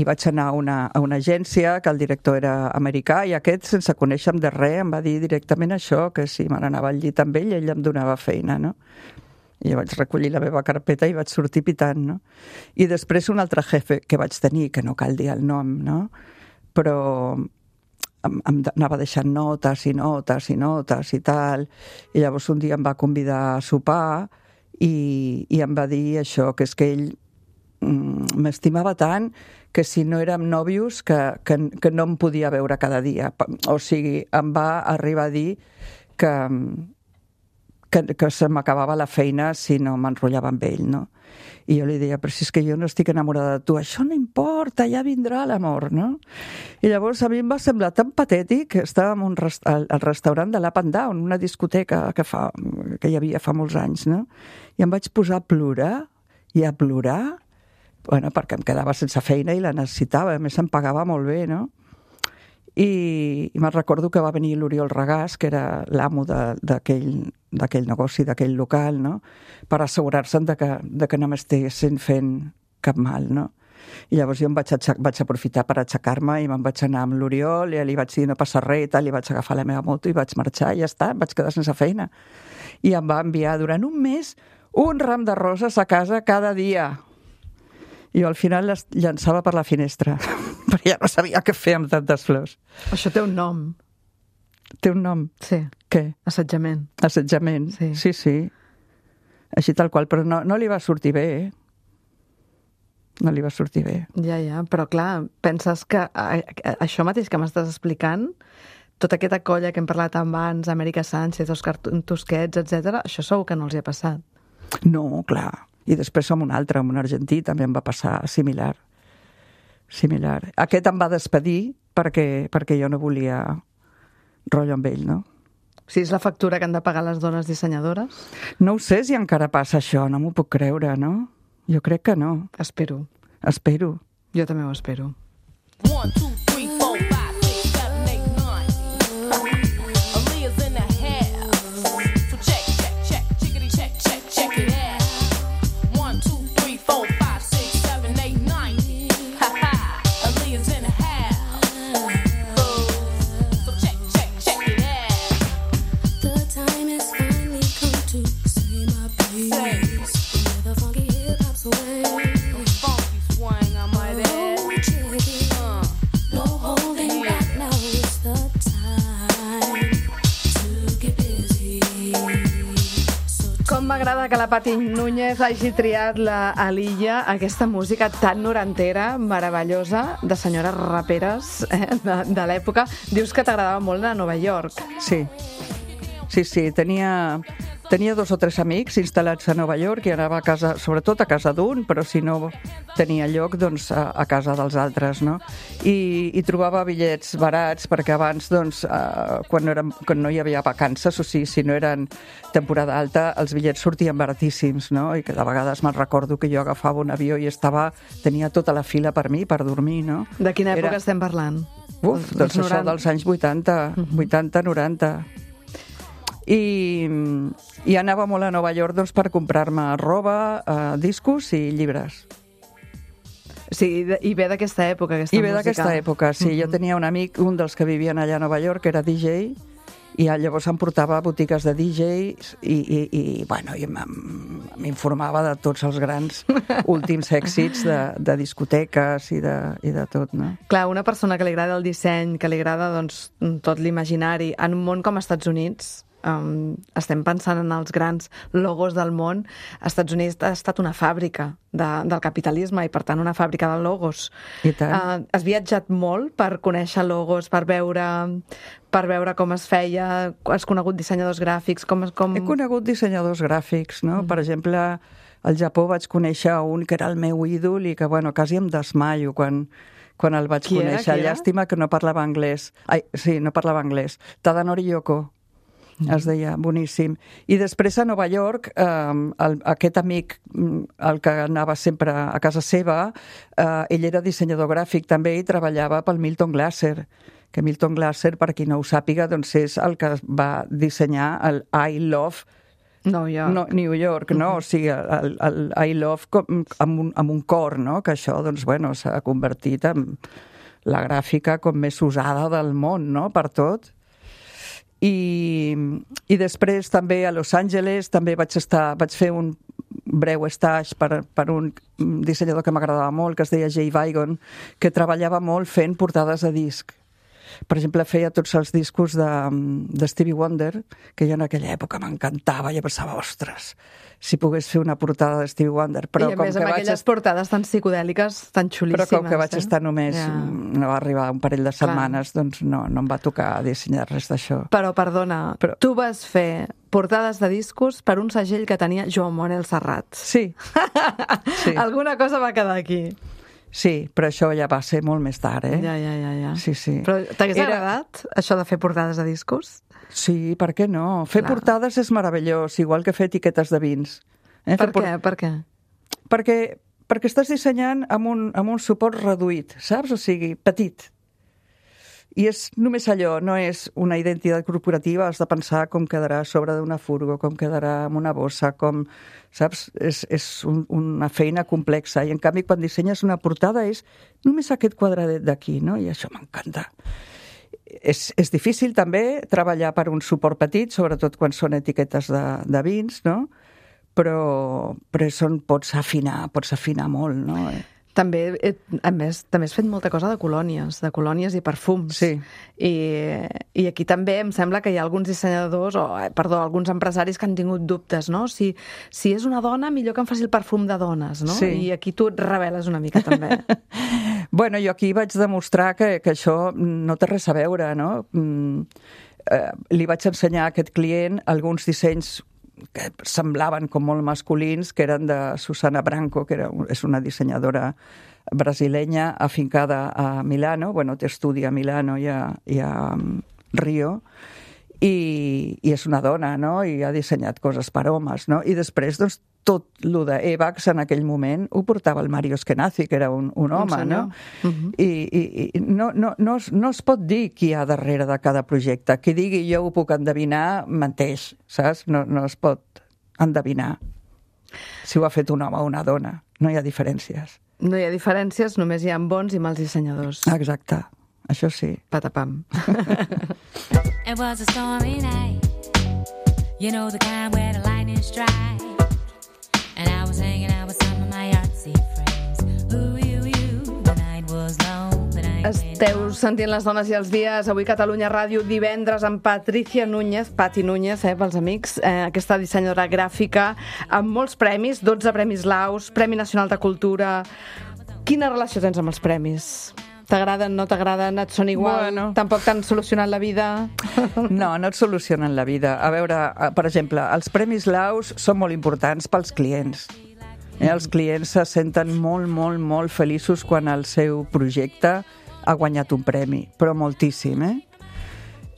vaig anar a una agència que el director era americà i aquest, sense conèixer-me de res, em va dir directament això, que si me n'anava al llit amb ell em donava feina, no? I jo vaig recollir la meva carpeta i vaig sortir pitant, no? I després un altre jefe que vaig tenir, que no cal dir el nom, no? Però anava deixant notes i notes i notes i tal, i llavors un dia em va convidar a sopar i em va dir això, que és que ell m'estimava tant que si no érem nòvios que no em podia veure cada dia. O sigui, em va arribar a dir que se m'acabava la feina si no m'enrotllava amb ell, no? I jo li deia, però si és que jo no estic enamorada de tu, això no importa, ja vindrà l'amor, no? I llavors a mi em va semblar tan patètic, estàvem al restaurant de l'Up and Down, una discoteca que hi havia fa molts anys, no? I em vaig posar a plorar, bueno, perquè em quedava sense feina i la necessitava, a més em pagava molt bé, no? I me'n recordo que va venir l'Oriol Regàs, que era l'amo d'aquell negoci, d'aquell local, no? Per assegurar-se'n de que no m'estiguessin fent cap mal, no? I llavors jo em vaig aprofitar per aixecar-me i me'n vaig anar amb l'Oriol i li vaig dir no passa res i tal, i vaig agafar la meva moto i vaig marxar i ja està, em vaig quedar sense feina. I em va enviar durant un mes un ram de roses a casa cada dia. I al final les llançava per la finestra, perquè ja no sabia què fer amb tantes flors. Això té un nom. Té un nom? Sí. Què? Assetjament. Assetjament, sí. Així tal qual, però no li va sortir bé, No li va sortir bé. Ja, però clar, penses que això mateix que m'estàs explicant, tota aquesta colla que hem parlat abans, Amèrica Sánchez, Òscar Tusquets, etc., això segur que no els hi ha passat. No, clar. I després amb un altre, amb un argentí, també em va passar similar. Aquest em va despedir perquè jo no volia rotllo amb ell, no? Si és la factura que han de pagar les dones dissenyadores? No ho sé si encara passa això, no m'ho puc creure, no? Jo crec que no. Espero. Jo també ho espero. 1, 2, 3, 4, 5, 6, 7, 8, 9. Aaliyah's in the house. So check, chickity check it out. 1, 2, 3, 4, 5, 6, 7, 8, 9. Ha ha. Aaliyah's in the house. So check it out. The time has finally come to say my piece. Where the funky hip hop's away. Funky swing, I might add. Oh, check it. No holding back, now is the time to get busy. Com m'agrada que la Pati Núñez hagi triat la Alilla, aquesta música tan norantera, meravellosa, de senyores raperes de l'època. Dius que t'agradava molt de Nova York. Sí. Tenia 2 o 3 amics instal·lats a Nova York i anava a casa, sobretot a casa d'un, però si no tenia lloc, doncs a casa dels altres, no? I trobava bitllets barats, perquè abans, doncs, quan no hi havia vacances, o sigui, si no eren temporada alta, els bitllets sortien baratíssims, no? I que de vegades me'n recordo que jo agafava un avió i tenia tota la fila per mi, per dormir, no? De quina època estem parlant? Doncs això dels anys 80, 90. I anava molt a Nova York doncs, per comprar-me roba, discos i llibres. Sí, i ve d'aquesta època, aquesta música. I ve d'aquesta època, sí. Jo tenia un amic, un dels que vivien allà a Nova York, que era DJ, i llavors em portava a botigues de DJs i m'informava de tots els grans últims èxits de discoteques i de tot, no? Clar, una persona que li agrada el disseny, que li agrada doncs, tot l'imaginari, en un món com als Estats Units, estem pensant en els grans logos del món. Els Estats Units ha estat una fàbrica del capitalisme i, per tant, una fàbrica de logos. I tant. Has viatjat molt per conèixer logos, per veure com es feia? Has conegut dissenyadors gràfics? He conegut dissenyadors gràfics, no? Per exemple, al Japó vaig conèixer un que era el meu ídol i que, bueno, quasi em desmaio quan el vaig conèixer. Qui era? Llàstima que no parlava anglès. No parlava anglès. Tadanori Yoko. Es deia, boníssim. I després a Nova York, aquest amic, el que anava sempre a casa seva, ell era dissenyador gràfic també i treballava pel Milton Glaser, que Milton Glaser, per qui no ho sàpiga, doncs és el que va dissenyar el I Love New York, no? O sigui, el I Love amb un cor, no? Que això, doncs, bueno, s'ha convertit en la gràfica com més usada del món, no? Per tot. I després també a Los Angeles també vaig fer un breu stage per un dissenyador que m'agradava molt, que es deia Jay Vigon, que treballava molt fent portades de disc. Per exemple, feia tots els discos de Stevie Wonder, que jo en aquella època m'encantava, i pensava, ostres, si pogués fer una portada de Stevie Wonder. Però I a més amb aquelles portades tan psicodèliques, tan xulíssimes. Però com que vaig estar només, no va arribar un parell de setmanes, doncs no em va tocar dissenyar res d'això. Però, perdona, tu vas fer portades de discos per un segell que tenia Joan Manel Serrat. Sí. Sí. Alguna cosa va quedar aquí. Sí, però això ja va ser molt més tard, eh? Ja. Sí. Però t'hagués agradat, això de fer portades de discos? Sí, per què no? Fer portades és meravellós, igual que fer etiquetes de vins. Per què? Perquè estàs dissenyant amb un suport reduït, saps? O sigui, petit. I és només allò, no és una identitat corporativa, has de pensar com quedarà a sobre d'una furgo, com quedarà amb una bossa, com... Saps? És una feina complexa. I en canvi, quan dissenyes una portada és només aquest quadradet d'aquí, no? I això m'encanta. És difícil també treballar per un suport petit, sobretot quan són etiquetes de vins, no? Però pots afinar molt, no? També, a més, també has fet molta cosa de colònies i perfums. Sí. I aquí també em sembla que hi ha alguns dissenyadors, alguns empresaris que han tingut dubtes, no? Si és una dona, millor que em faci el perfum de dones, no? Sí. I aquí tu et reveles una mica també. Bueno, jo aquí vaig demostrar que això no té res a veure, no? Li vaig ensenyar a aquest client alguns dissenys que semblaven com molt masculins, que eren de Susana Branco, que és una dissenyadora brasilenya afincada a Milano, té estudi a Milano i a Rio, i és una dona, no? I ha dissenyat coses per homes, no? I després, doncs, tot lo d'Evax en aquell moment ho portava el Mario Eskenazi, que era un home, no? I no es pot dir qui hi ha darrere de cada projecte. Qui digui jo ho puc endevinar, menteix, saps? No es pot endevinar si ho ha fet un home o una dona. No hi ha diferències. No hi ha diferències, només hi ha bons i mals dissenyadors. Exacte, això sí. Patapam. It was a stormy night. You know the kind where the lightning strikes. And I was hanging out with some of my artsy friends. Ooh, the night was long, the night Esteu sentint Les dones i els dies, avui Catalunya Ràdio, divendres amb Patricia Núñez, Pati Núñez, pels amics, aquesta dissenyadora gràfica, amb molts premis, 12 premis Laus, Premi Nacional de Cultura. Quina relació tens amb els premis? T'agraden, no t'agraden, et són igual? Bueno. Tampoc t'han solucionat la vida? No et solucionen la vida. A veure, per exemple, els Premis Laus són molt importants pels clients. Els clients se senten molt, molt, molt feliços quan el seu projecte ha guanyat un premi, però moltíssim,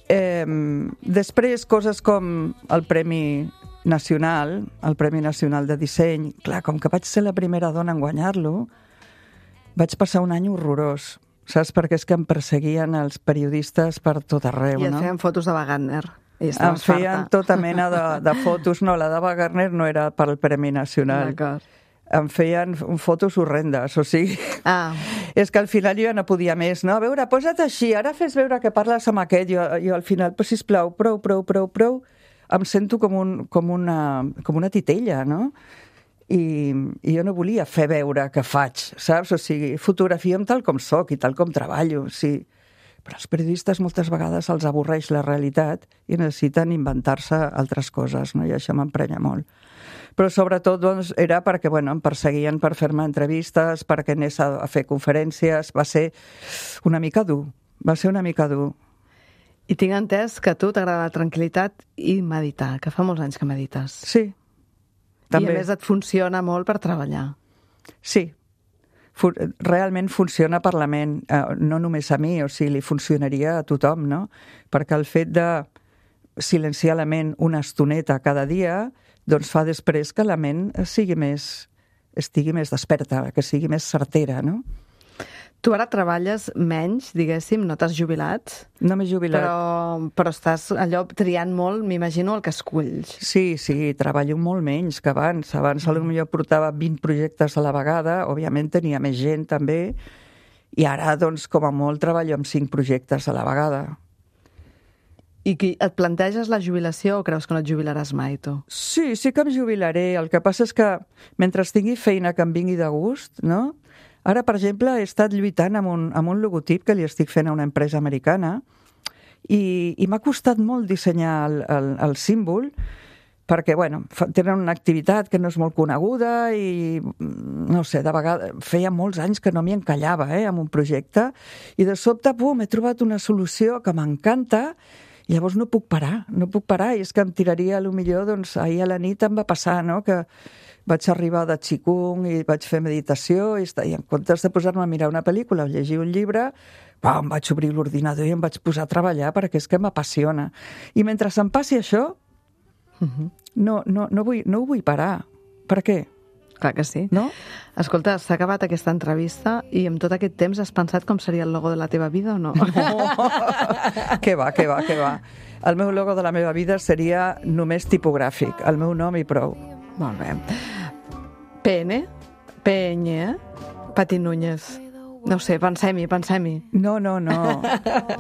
Després, coses com el Premi Nacional, el Premi Nacional de Disseny, clar, com que vaig ser la primera dona en guanyar-lo, vaig passar un any horrorós. Saps? Perquè és que em perseguien els periodistes per tot arreu, I et no? feien fotos de Wagner. Em feien tota mena de fotos. No, la de Wagner no era per al Premi Nacional. D'acord. Em feien fotos horrendes, o sigui... És que al final jo ja no podia més, no? A veure, posa't així, ara fes veure que parles amb aquest. Jo al final, però sisplau, prou. Em sento com una titella, no? I jo no volia fer veure que faig, saps? O sigui, fotografia'm tal com soc i tal com treballo, sí. Però els periodistes moltes vegades els avorreix la realitat i necessiten inventar-se altres coses, no? I això m'emprenya molt. Però sobretot doncs, era perquè em perseguien per fer-me entrevistes, perquè anés a fer conferències. Va ser una mica dur. I tinc entès que a tu t'agrada la tranquil·litat i meditar, que fa molts anys que medites. Sí. També. I a més et funciona molt per treballar. Sí. Realment funciona per la ment, no només a mi, o sigui, li funcionaria a tothom, no? Perquè el fet de silenciar la ment una estoneta cada dia, doncs fa després que la ment estigui més desperta, que sigui més certera, no? Tu ara treballes menys, diguéssim, no t'has jubilat? No m'he jubilat. Però estàs allò triant molt, m'imagino, el que esculls. Sí, treballo molt menys que abans. Abans potser portava 20 projectes a la vegada, òbviament tenia més gent també, i ara, doncs, com a molt, treballo amb 5 projectes a la vegada. I et planteges la jubilació o creus que no et jubilaràs mai, tu? Sí que em jubilaré. El que passa és que mentre tingui feina que em vingui de gust, no? Ara, per exemple, he estat lluitant amb un logotip que li estic fent a una empresa americana i m'ha costat molt dissenyar el símbol perquè, bueno, tenen una activitat que no és molt coneguda i, no sé, de vegades feia molts anys que no m'hi encallava, amb un projecte, i de sobte, he trobat una solució que m'encanta i llavors no puc parar, i és que em tiraria, potser, doncs, ahir a la nit em va passar, no?, que vaig arribar de Qigong i vaig fer meditació i en comptes de posar-me a mirar una pel·lícula o llegir un llibre, em vaig obrir l'ordinador i em vaig posar a treballar perquè és que m'apassiona. I mentre em passi això, no ho vull parar. Per què? Clar que sí. No? Escolta, s'ha acabat aquesta entrevista i en tot aquest temps has pensat com seria el logo de la teva vida o no? Què va. El meu logo de la meva vida seria només tipogràfic, el meu nom i prou. Molt bé. PN? PN? Pati Núñez. No ho sé, pensem-hi. No.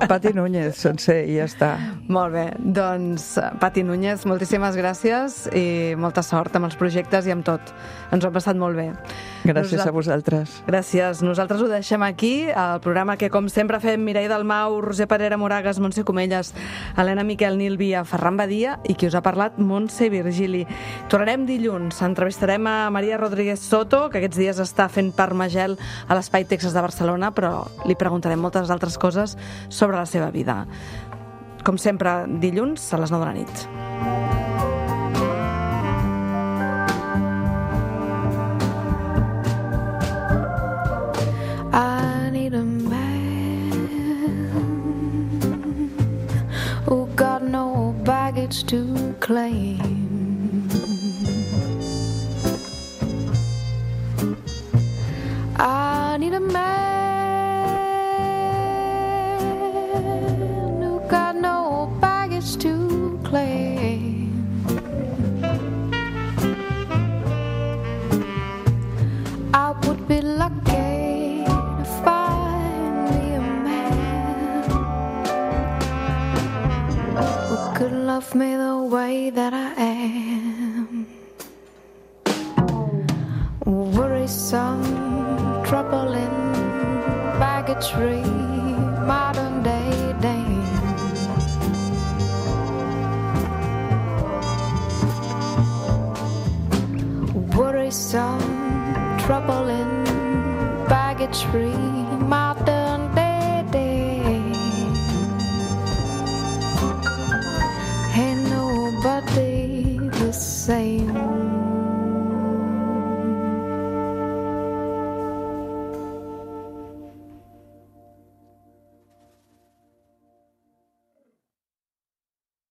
Pati Núñez, sencer, i ja està. Molt bé. Doncs, Pati Núñez, moltíssimes gràcies i molta sort amb els projectes i amb tot. Ens ho hem passat molt bé. Gràcies a vosaltres. Gràcies. Nosaltres ho deixem aquí, el programa que, com sempre, fem Mireia Dalmau, Roser Parera Moragas, Montse Comelles, Helena Miquel, Nil Via, Ferran Badia i qui us ha parlat, Montse Virgili. Tornarem dilluns. Entrevistarem a Maria Rodríguez Soto, que aquests dies està fent Parmagel a l'Espai Texas de Barcelona, però li preguntarem moltes altres coses sobre la seva vida. Com sempre, dilluns a les 9 de la nit. I need a man who got no baggage to claim. I need a man who got no baggage to claim. I would be lucky to find me a man who could love me the way that I am. Worrisome, troubling, baggage-free, modern-day dame. Worrisome, troubling, baggage-free, modern-day dame. Ain't nobody the same.